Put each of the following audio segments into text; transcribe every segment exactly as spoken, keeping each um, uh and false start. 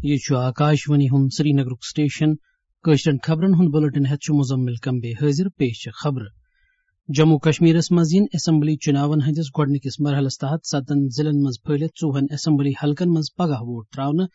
یہِ چھُ آکاشوانی ہُنٛد سرینگرُک سٹیشن۔ کٲشرٮ۪ن خبرن ہُنٛد بُلٹن ہٮ۪تھ چھُ مزمل کمبے حٲضِر۔ پیش چھِ خبرٕ۔ جموں کشمیرس منٛز یِن اسمبلی چُناون ہٕنٛدِس گۄڈٕنِکِس مرحلس تحت ستن ضلعن منٛز پھٔہلِتھ ژووُہن اسمبلی حلقن منٛز پگاہ ووٹ تراونہٕ۔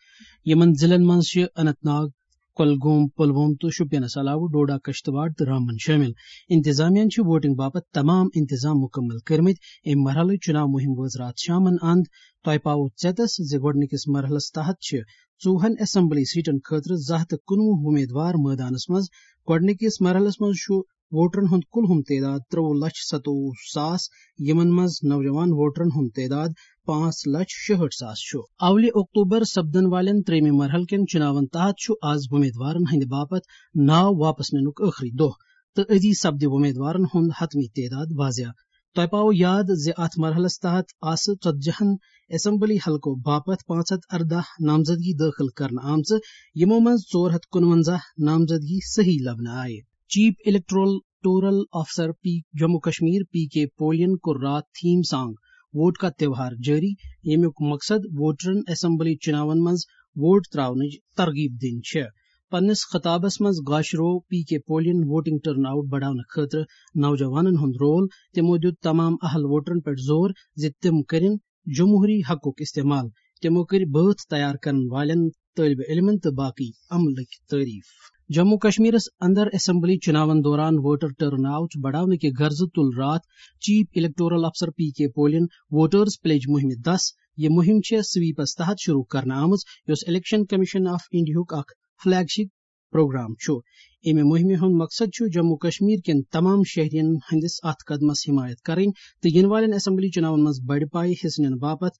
یِمن ضلعن منٛز چھِ اننت ناگ، کۄلگوم، پُلووم تہٕ شوپینس علاوٕ ڈوڈا، کشتواڑ تہٕ رامبن شٲمِل۔ انتظامیہ چھِ ووٹنگ باپتھ تمام انتظام مُکمل کٔرمٕتۍ۔ امہِ مرحلٕچ چُناو مُہِم وٲژ راتھ شامن اند۔ تۄہہِ پاوو ژیتس زِ گۄڈٕنِکِس مرحلس تحت چھِ ژووُہن اسمبلی سیٹن خٲطرٕ زٕ ہتھ تہٕ کُنوُہ وۄمیدوار مٲدانس منٛز۔ گۄڈٕنِکِس مرحلس منٛز چھُ ووٹرن ہُنٛد کُلہُم تعداد ترٛوٚوُہ لچھ ستووُہ ساس، یِمن منٛز نوجوان ووٹرن ہُنٛد تعداد پانٛژھ لچھ شُہٲٹھ ساس چھُ۔ اولہِ اکتوبر سپدن والٮ۪ن ترٛیٚیمہِ مرحلہٕ کٮ۪ن چُناون تحت چھُ از وۄمیدوارن ہٕنٛدِ باپتھ ناو واپس نِنُک ٲخری دۄہ تہٕ أزی سپدِ وۄمیدوارن ہُنٛد حتمی تعداد واضح۔ تۄہہِ پاوو یاد زِ اتھ مرحلس تحت آسہٕ ژتجی ہن اسمبلی حلقو باپتھ پانٛژھ ہتھ ارداہ نامزدگی دٲخل کرنہٕ آمژٕ، یِمو منٛز ژور ہتھ کُنونزہ نامزدگی صحیح لبنہٕ آیہِ۔ چیف الیکٹورل ٹورل officer P Jammu Kashmir P K پولین کوٚر راتھ تھیم سانگ ووٹ کا تہوار جٲری، ییٚمیُک مقصد ووٹرن اسمبلی چُناون منٛز ووٹ تراونٕچ ترغیب دِنۍ چھےٚ۔ پننِس خطابس منٛز گاشرو P K پولین voting turn out بڑاونہٕ خٲطرٕ نوجوانن ہُنٛد رول۔ تِمو دیُت تمام اہل ووٹرن پٮ۪ٹھ زور زِ تِم کٔرِن جمہوری حقُک استعمال۔ تِمو کٔرۍ بٲتھ تیار کرن والٮ۪ن، طٲلبہِ علمن تہٕ باقٕے عملٕکۍ تعریف۔ جموں کشمیرس اندر اسمبلی چُناون دوران ووٹر ٹرن آؤٹ بڑاونہٕ کہِ غرضہٕ تُل راتھ چیف الیکٹورل افسر پی کے پولین ووٹرز پلیج مُہِمہِ دس۔ یہِ مُہِم چھےٚ سویپس تحت شروع کرنہٕ آمٕژ، یۄس الیکشن کمیشن آف انڈیاہُک اکھ فلیگ شپ پروگرام چھُ۔ امہِ مُہِمہِ ہُنٛد مقصد چھُ جموں کشمیر کٮ۪ن تمام شہرین ہٕنٛدِس اتھ قدمس حمایت کرٕنۍ تہٕ یِنہٕ والٮ۪ن اسمبلی چُناون منٛز بڑِ پایہِ حصہٕ نِنہٕ باپتھ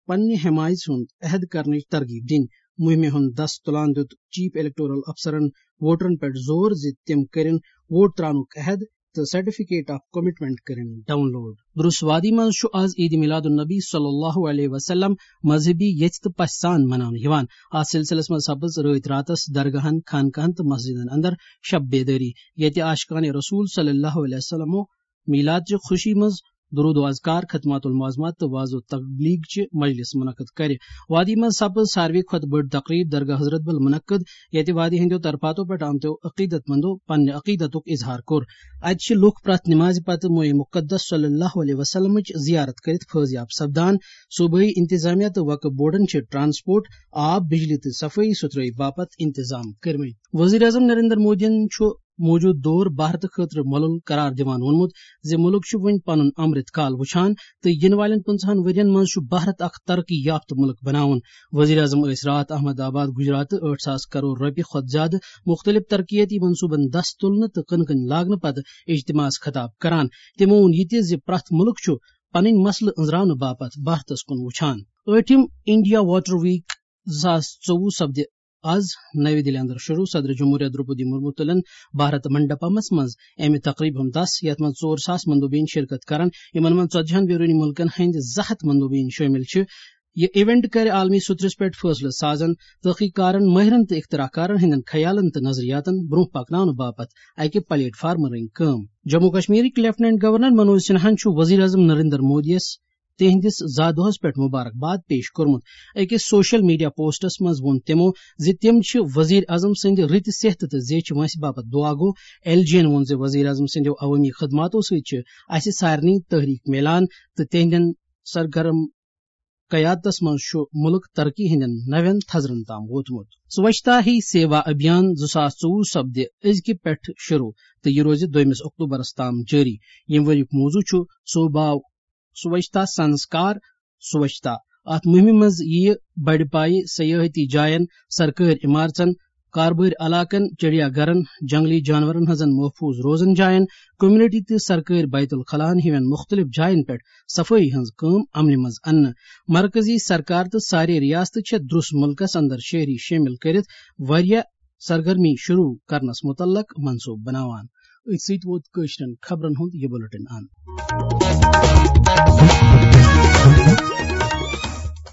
پننہِ حمایژ ہُنٛد عہد کرنٕچ ترغیب دِنۍ۔ مُہِمہِ ہُنٛد دس تُلان دیُت چیف الیکٹورل افسرن ووٹرن پٮ۪ٹھ زور زِ تِم کٔرِن ووٹ تراونُک عہد تہٕ سرٹیفکیٹ آف کمٹمنٹ کٔرِن ڈاؤن لوڈ۔ درُس وادی منٛز چھُ از عید میلاد النبی صلی اللہ علیہ وسلم مذہبی یژھِ تہٕ پژھِ سان مناونہٕ یِوان۔ اتھ سلسلس منٛز سپٕز رٲتۍ راتس درگاہن، خانقاہن تہٕ مسجدن اندر شب بیدٲری، ییٚتہِ عاشقانِ رسول صلی اللہ علیہ وسلمو میلاد چہِ خوشی منٛز درود و اذکار، ختمات المعظمات تہٕ وعظ و تبلیغ چہِ مجلس منعقد کرِ۔ وادی منٛز سپٕز ساروی کھۄتہٕ بٔڑ تقریب درگاہ حضرت بل منعقد، ییٚتہِ وادی ہٕنٛدیو طرفاتو پٮ۪ٹھ آمتیو عقیدت مندو پننہِ عقیدتُک اظہار کوٚر۔ اتہِ چھِ لُکھ پرٛٮ۪تھ نمازِ پتہٕ موئے مقدس صلی اللہ علیہ وسلمٕچ زیارت کٔرِتھ فٲضیاب سپدان۔ صوبٲئی انتظامیہ تہٕ وقف بورڈن چھِ ٹرانسپورٹ، آب، بجلی تہٕ صفٲیی ستھرٲیی باپتھ انتظام کٔرمٕتۍ۔ وزیر اعظم نریندر مودیَن چھُ موجودٕ دور بھارتہٕ خٲطرٕ مۄلُل قرار دِوان ووٚنمُت زِ مُلک چھُ وُنہِ پنُن امرت کال وُچھان تہٕ یِنہٕ والٮ۪ن پنٛژاہن ؤرین منٛز چھُ بھارت اکھ ترقی یافتہٕ مُلک بناوُن۔ وزیر اعظم ٲسۍ راتھ احمد آباد، گجرات، ٲٹھ ساس کرور رۄپیہِ کھۄتہٕ زیادٕ مُختٔلِف ترقیتی منصوبن دَس تُلنہٕ تہٕ کٕنہٕ کٕنۍ لاگنہٕ پتہٕ اجتماعس خطاب کران۔ تِمو ووٚن یہِ تہِ زِ پرٛٮ۪تھ مُلک چھُ پنٕنۍ مسلہٕ أنٛزراونہٕ باپتھ بھارتس کُن وُچھان۔ ٲٹھِم انڈیا واٹر ویک زٕ ساس ژوٚوُہ سپدِ از نَوِ دِلہِ اندر شروع۔ صدر جمہوریہ درٛوپدی مُرموٗ تُلن بھارت منڈپمس منٛز امہِ تقریبہِ ہُنٛد دَس، یتھ منٛز ژور ساس مندوبین شرکت کرن، یِمن منٛز ژتجی ہن بیرونی مُلکن ہٕنٛدۍ زٕ ہتھ مندوبین شٲمِل چھِ۔ یہِ ایونٹ کرِ عالمی سطحس پٮ۪ٹھ فٲصلہٕ سازن، تحقیق کارن، مٲہرن تہٕ اختراع کارن ہٕنٛدٮ۪ن خیالن تہٕ نظریاتن برونٛہہ پکناونہٕ باپتھ اکہِ پلیٹ فارمہٕ رٔنگۍ کٲم۔ جموں کشمیرٕکۍ لیفٹیننٹ گورنر منوج سنہاہن چھُ وزیر اعظم نریندر مودیَس تِہنٛدِس زا دۄہس پٮ۪ٹھ مبارکباد پیش کوٚرمُت۔ أکِس سوشل میڈیا پوسٹس منٛز ووٚن تِمو زِ تِم چھِ وزیر اعظم سٕنٛدِ رٕتہِ صحتہٕ تہٕ زیچھِ وٲنٛسہِ باپتھ دعا گو۔ ایل جی ین ووٚن زِ وزیر اعظم سٕنٛدیو عوٲمی خدماتو سۭتۍ چھِ اسہِ سارنٕے تحریک میلان تہٕ تِہنٛدٮ۪ن سرگرم قیادتس منٛز چھُ مُلک ترقی ہٕنٛدٮ۪ن نوٮ۪ن تھزرن تام ووتمُت۔ سوچھتا ہی سیوا ابھیان زٕ ساس ژوٚوُہ سپدِ أزکہِ پٮ۪ٹھٕ شروع تہٕ یہِ روزِ دوٚیمِس اکتوبرس تام جٲری۔ ییٚمہِ ؤریُک موضوع چھُ سوبھاو سوچھتا سنسکار سوچھتا۔ اتھ مُہِمہِ منٛز یِیہِ بڑِ پایہِ سیاحتی جاین، سرکٲرۍ عمارژن، کاربٲرۍ علاقن، چڑیا گھرن، جنگلی جانورن ہٕنٛزن محفوظ روزن جاین، کمیونٹی تہٕ سرکٲرۍ بیت الخلاہن ہِوٮ۪ن مُختٔلِف جاین پٮ۪ٹھ صفٲیی ہٕنٛز کٲم عملہِ منٛز اننہٕ۔ مرکزی سرکار تہٕ سارے ریاستہٕ چھےٚ درُس مُلکس اندر شہری شٲمِل کٔرِتھ واریاہ سرگرمی شروع کرنس مُتعلق منصوبہٕ بناوان۔ أتھۍ سۭتۍ ووت کٲشرٮ۪ن خبرن ہُنٛد یہِ بُلٹن اند۔